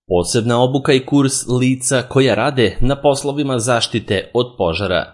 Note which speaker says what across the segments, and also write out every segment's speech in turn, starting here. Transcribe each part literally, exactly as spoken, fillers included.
Speaker 1: Posebna obuka i kurs lica koja rade na poslovima zaštite od požara.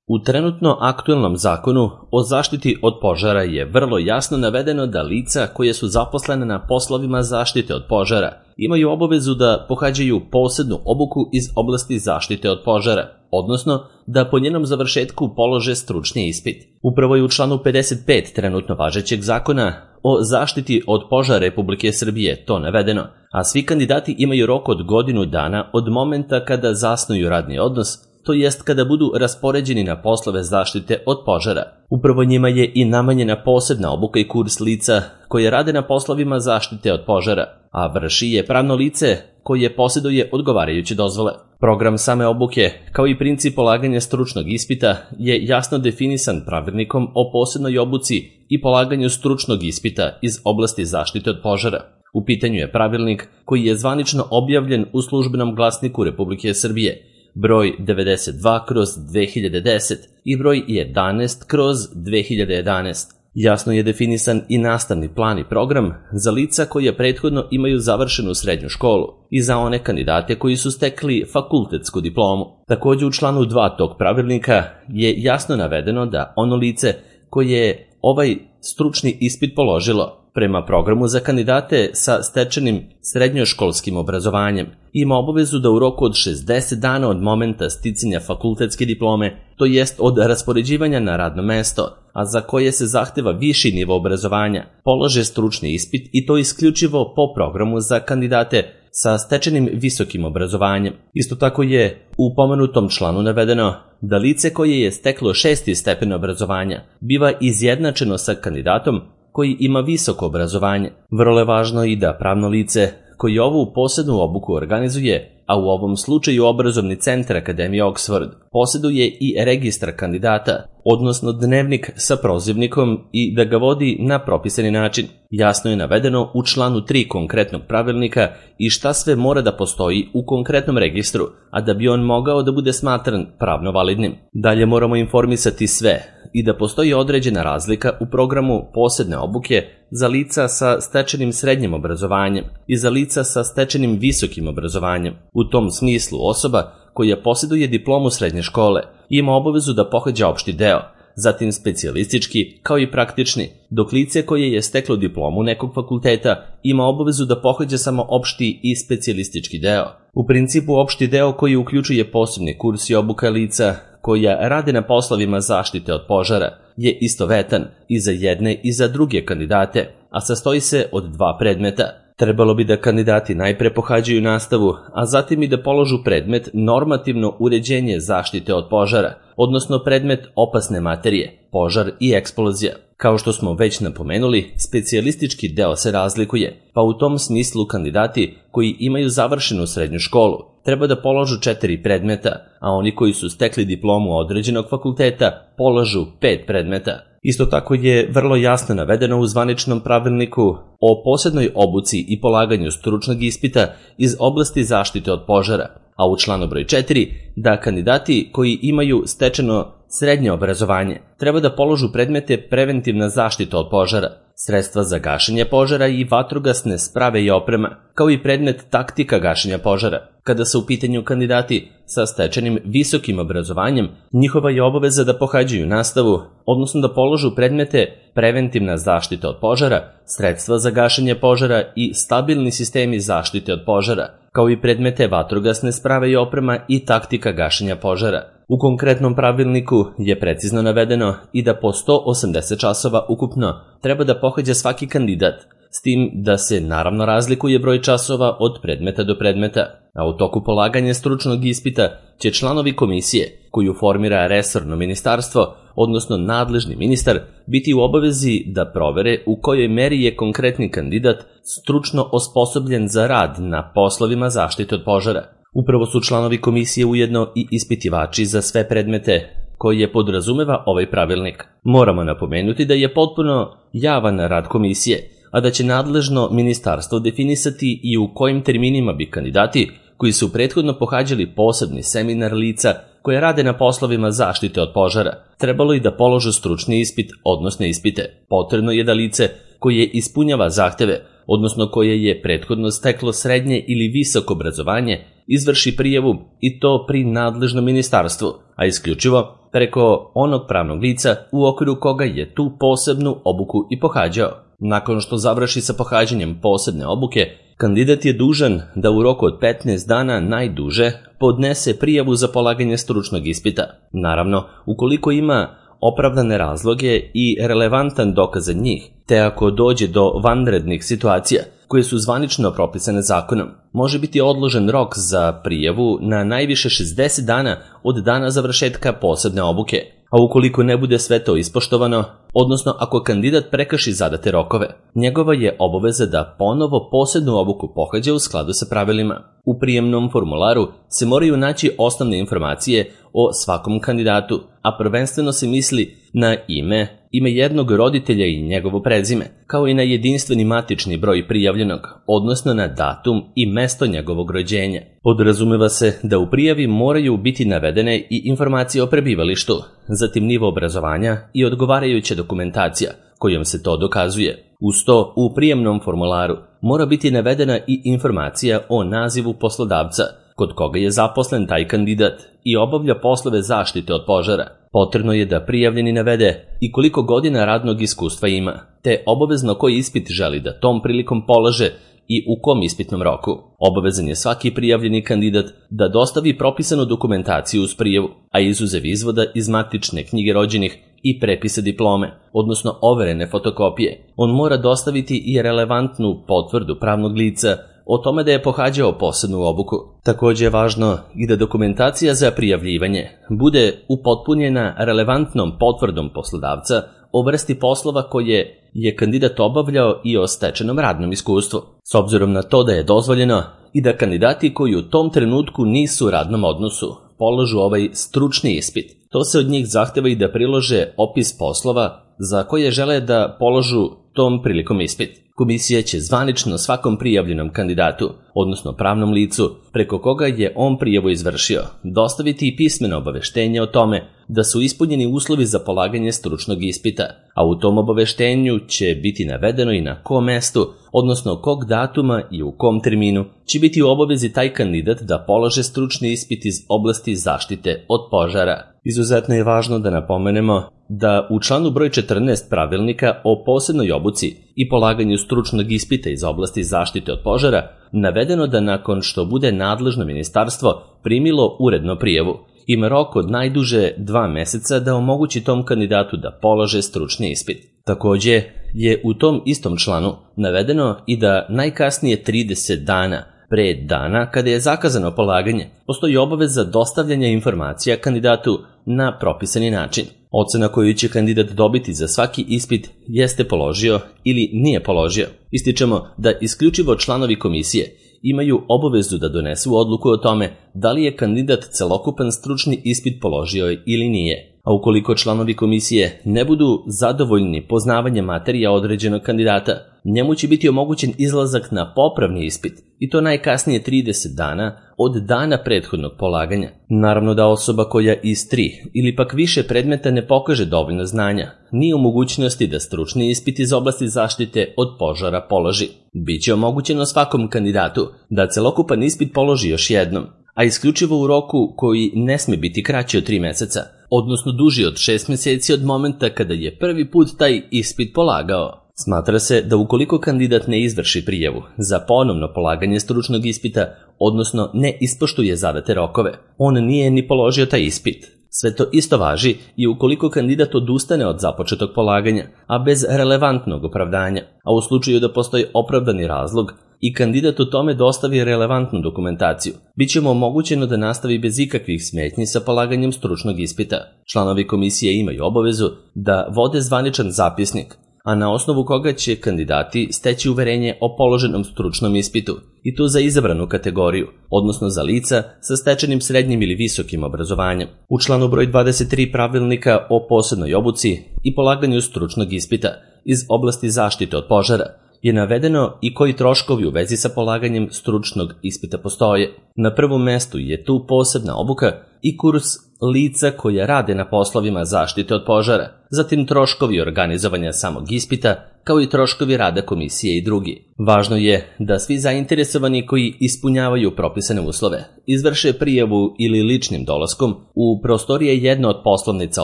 Speaker 1: U trenutno aktuelnom zakonu o zaštiti od požara je vrlo jasno navedeno da lica koje su zaposlene na poslovima zaštite od požara imaju obavezu da pohađaju posebnu obuku iz oblasti zaštite od požara, odnosno da po njenom završetku polože stručni ispit. Upravo je u članu pedeset pet trenutno važećeg zakona o zaštiti od požara Republike Srbije to navedeno, a svi kandidati imaju rok od godinu dana od momenta kada zasnuju radni odnos, to jest kada budu raspoređeni na poslove zaštite od požara. Upravo njima je i namenjena posebna obuka i kurs lica koje rade na poslovima zaštite od požara, a vrši je pravno lice koje posjeduje odgovarajuće dozvole. Program same obuke, kao i princip polaganja stručnog ispita, je jasno definisan pravilnikom o posebnoj obuci i polaganju stručnog ispita iz oblasti zaštite od požara. U pitanju je pravilnik koji je zvanično objavljen u Službenom glasniku Republike Srbije, broj devedeset dva kroz dve hiljade deset i broj jedanaest kroz dve hiljade jedanaest. Jasno je definisan i nastavni plan i program za lica koje prethodno imaju završenu srednju školu i za one kandidate koji su stekli fakultetsku diplomu. Također u članu dva tog pravilnika je jasno navedeno da ono lice koje je ovaj stručni ispit položilo prema programu za kandidate sa stečenim srednjoškolskim obrazovanjem ima obavezu da u roku od šezdeset dana od momenta sticanja fakultetske diplome, to jest od raspoređivanja na radno mesto, a za koje se zahteva viši nivo obrazovanja, polože stručni ispit i to isključivo po programu za kandidate sa stečenim visokim obrazovanjem. Isto tako je u pomenutom članu navedeno da lice koje je steklo šesti stepen obrazovanja biva izjednačeno sa kandidatom koji ima visoko obrazovanje. Vrlo je važno i da pravno lice koji ovu posebnu obuku organizuje, a u ovom slučaju obrazovni centar Akademije Oxford, posjeduje i registar kandidata, odnosno dnevnik sa prozivnikom i da ga vodi na propisani način. Jasno je navedeno u članu tri konkretnog pravilnika i šta sve mora da postoji u konkretnom registru, a da bi on mogao da bude smatran pravno validnim. Dalje moramo informisati sve i da postoji određena razlika u programu posebne obuke za lica sa stečenim srednjim obrazovanjem i za lica sa stečenim visokim obrazovanjem. U tom smislu osoba koja posjeduje diplomu srednje škole ima obavezu da pohađa opšti deo, zatim specijalistički kao i praktični, dok lice koje je steklo diplomu nekog fakulteta ima obavezu da pohađa samo opšti i specijalistički deo. U principu opšti deo koji uključuje posebni kurs i obuka lica koja rade na poslovima zaštite od požara je istovetan i za jedne i za druge kandidate, a sastoji se od dva predmeta. Trebalo bi da kandidati najpre pohađaju nastavu, a zatim i da položu predmet normativno uređenje zaštite od požara, odnosno predmet opasne materije, požar i eksplozija. Kao što smo već napomenuli, specijalistički deo se razlikuje, pa u tom smislu kandidati koji imaju završenu srednju školu treba da položu četiri predmeta, a oni koji su stekli diplomu određenog fakulteta polažu pet predmeta. Isto tako je vrlo jasno navedeno u zvaničnom pravilniku o posebnoj obuci i polaganju stručnog ispita iz oblasti zaštite od požara, a u članu broj četiri da kandidati koji imaju stečeno srednje obrazovanje treba da položu predmete preventivna zaštita od požara, sredstva za gašenje požara i vatrogasne sprave i oprema, kao i predmet taktika gašenja požara. Kada su u pitanju kandidati sa stečenim visokim obrazovanjem, njihova je obaveza da pohađaju nastavu, odnosno da položu predmete preventivna zaštita od požara, sredstva za gašenje požara i stabilni sistemi zaštite od požara, kao i predmete vatrogasne sprave i oprema i taktika gašenja požara. U konkretnom pravilniku je precizno navedeno i da po sto osamdeset časova ukupno treba da pohađa svaki kandidat, s tim da se naravno razlikuje broj časova od predmeta do predmeta, a u toku polaganja stručnog ispita će članovi komisije, koju formira resorno ministarstvo, odnosno nadležni ministar, biti u obavezi da provere u kojoj meri je konkretni kandidat stručno osposobljen za rad na poslovima zaštite od požara. Upravo su članovi komisije ujedno i ispitivači za sve predmete koje podrazumeva ovaj pravilnik. Moramo napomenuti da je potpuno javan rad komisije, a da će nadležno ministarstvo definisati i u kojim terminima bi kandidati koji su prethodno pohađali posebni seminar lica koje rade na poslovima zaštite od požara trebalo i da polože stručni ispit, odnosno ispite. Potrebno je da lice koje ispunjava zahteve, odnosno koje je prethodno steklo srednje ili visoko obrazovanje, izvrši prijavu i to pri nadležnom ministarstvu, a isključivo preko onog pravnog lica u okviru koga je tu posebnu obuku i pohađao. Nakon što završi sa pohađanjem posebne obuke, kandidat je dužan da u roku od petnaest dana najduže podnese prijavu za polaganje stručnog ispita. Naravno, ukoliko ima opravdane razloge i relevantan dokaz za njih, te ako dođe do vanrednih situacija koje su zvanično propisane zakonom, može biti odložen rok za prijavu na najviše šezdeset dana od dana završetka posebne obuke, a ukoliko ne bude sve to ispoštovano, odnosno ako kandidat prekrši zadate rokove, njegova je obaveza da ponovo posebnu obuku pohađa u skladu sa pravilima. U prijemnom formularu se moraju naći osnovne informacije o svakom kandidatu, a prvenstveno se misli na ime, ime jednog roditelja i njegovo prezime, kao i na jedinstveni matični broj prijavljenog, odnosno na datum i mesto njegovog rođenja. Podrazumeva se da u prijavi moraju biti navedene i informacije o prebivalištu, zatim nivo obrazovanja i odgovarajuća dokumentacija kojom se to dokazuje. Uz to, u prijemnom formularu mora biti navedena i informacija o nazivu poslodavca kod koga je zaposlen taj kandidat i obavlja poslove zaštite od požara. Potrebno je da prijavljeni navede i koliko godina radnog iskustva ima, te obavezno koji ispit želi da tom prilikom polaže i u kom ispitnom roku. Obavezan je svaki prijavljeni kandidat da dostavi propisanu dokumentaciju uz prijavu, a izuzev izvoda iz matične knjige rođenih i prepisa diplome, odnosno overene fotokopije. On mora dostaviti i relevantnu potvrdu pravnog lica o tome da je pohađao posebnu obuku. Takođe je važno i da dokumentacija za prijavljivanje bude upotpunjena relevantnom potvrdom poslodavca o vrsti poslova koje je kandidat obavljao i o stečenom radnom iskustvu, s obzirom na to da je dozvoljeno i da kandidati koji u tom trenutku nisu u radnom odnosu polažu ovaj stručni ispit. To se od njih zahteva i da prilože opis poslova za koje žele da polažu tom prilikom ispit. Komisija će zvanično svakom prijavljenom kandidatu, odnosno pravnom licu, preko koga je on prijavu izvršio, dostaviti i pismeno obaveštenje o tome da su ispunjeni uslovi za polaganje stručnog ispita, a u tom obaveštenju će biti navedeno i na kom mestu, odnosno kog datuma i u kom terminu će biti u obavezi taj kandidat da polaže stručni ispit iz oblasti zaštite od požara. Izuzetno je važno da napomenemo da u članu broj četrnaest Pravilnika o posebnoj obuci i polaganju stručnog ispita iz oblasti zaštite od požara navedeno da nakon što bude nadležno ministarstvo primilo uredno prijavu, ima rok od najduže dva meseca da omogući tom kandidatu da polaže stručni ispit. Takođe je u tom istom članu navedeno i da najkasnije trideset dana pre dana kada je zakazano polaganje postoji obaveza dostavljanja informacija kandidatu na propisani način. Ocena koju će kandidat dobiti za svaki ispit jeste položio ili nije položio. Ističemo da isključivo članovi komisije imaju obavezu da donesu odluku o tome da li je kandidat celokupan stručni ispit položio ili nije. A ukoliko članovi komisije ne budu zadovoljni poznavanjem materija određenog kandidata, njemu će biti omogućen izlazak na popravni ispit i to najkasnije trideset dana od dana prethodnog polaganja. Naravno da osoba koja iz tri ili pak više predmeta ne pokaže dovoljno znanja, nije u mogućnosti da stručni ispit iz oblasti zaštite od požara položi. Biće omogućeno svakom kandidatu da celokupan ispit položi još jednom, a isključivo u roku koji ne sme biti kraći od tri meseca, odnosno duži od šest meseci od momenta kada je prvi put taj ispit polagao. Smatra se da ukoliko kandidat ne izvrši prijavu za ponovno polaganje stručnog ispita, odnosno ne ispoštuje zadate rokove, on nije ni položio taj ispit. Sve to isto važi i ukoliko kandidat odustane od započetog polaganja, a bez relevantnog opravdanja, a u slučaju da postoji opravdani razlog i kandidat u tome dostavi relevantnu dokumentaciju, bit će mu omogućeno da nastavi bez ikakvih smetnji sa polaganjem stručnog ispita. Članovi komisije imaju obavezu da vode zvaničan zapisnik, a na osnovu koga će kandidati steći uverenje o položenom stručnom ispitu, i to za izabranu kategoriju, odnosno za lica sa stečenim srednjim ili visokim obrazovanjem. U članu broj dvadeset tri Pravilnika o posebnoj obuci i polaganju stručnog ispita iz oblasti zaštite od požara je navedeno i koji troškovi u vezi sa polaganjem stručnog ispita postoje. Na prvom mestu je tu posebna obuka i kurs lica koja rade na poslovima zaštite od požara, zatim troškovi organizovanja samog ispita, kao i troškovi rada komisije i drugi. Važno je da svi zainteresovani koji ispunjavaju propisane uslove izvrše prijavu ili ličnim dolaskom u prostorije jedne od poslovnica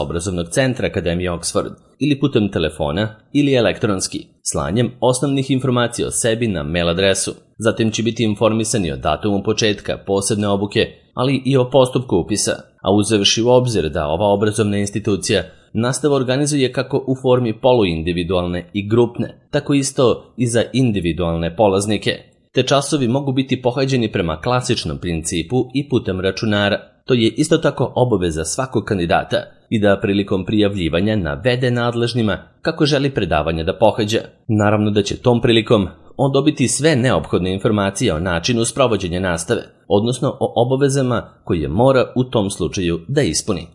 Speaker 1: obrazovnog centra Akademije Oxford ili putem telefona ili elektronski, slanjem osnovnih informacija o sebi na mail adresu. Zatim će biti informisani o datumu početka posebne obuke, ali i o postupku upisa, a uzevši u obzir da ova obrazovna institucija nastavu organizuje kako u formi poluindividualne i grupne, tako isto i za individualne polaznike. Te časovi mogu biti pohađeni prema klasičnom principu i putem računara. To je isto tako obaveza svakog kandidata i da prilikom prijavljivanja navede nadležnima kako želi predavanja da pohađa. Naravno da će tom prilikom on dobiti sve neophodne informacije o načinu sprovođenja nastave, odnosno o obavezama koje mora u tom slučaju da ispuni.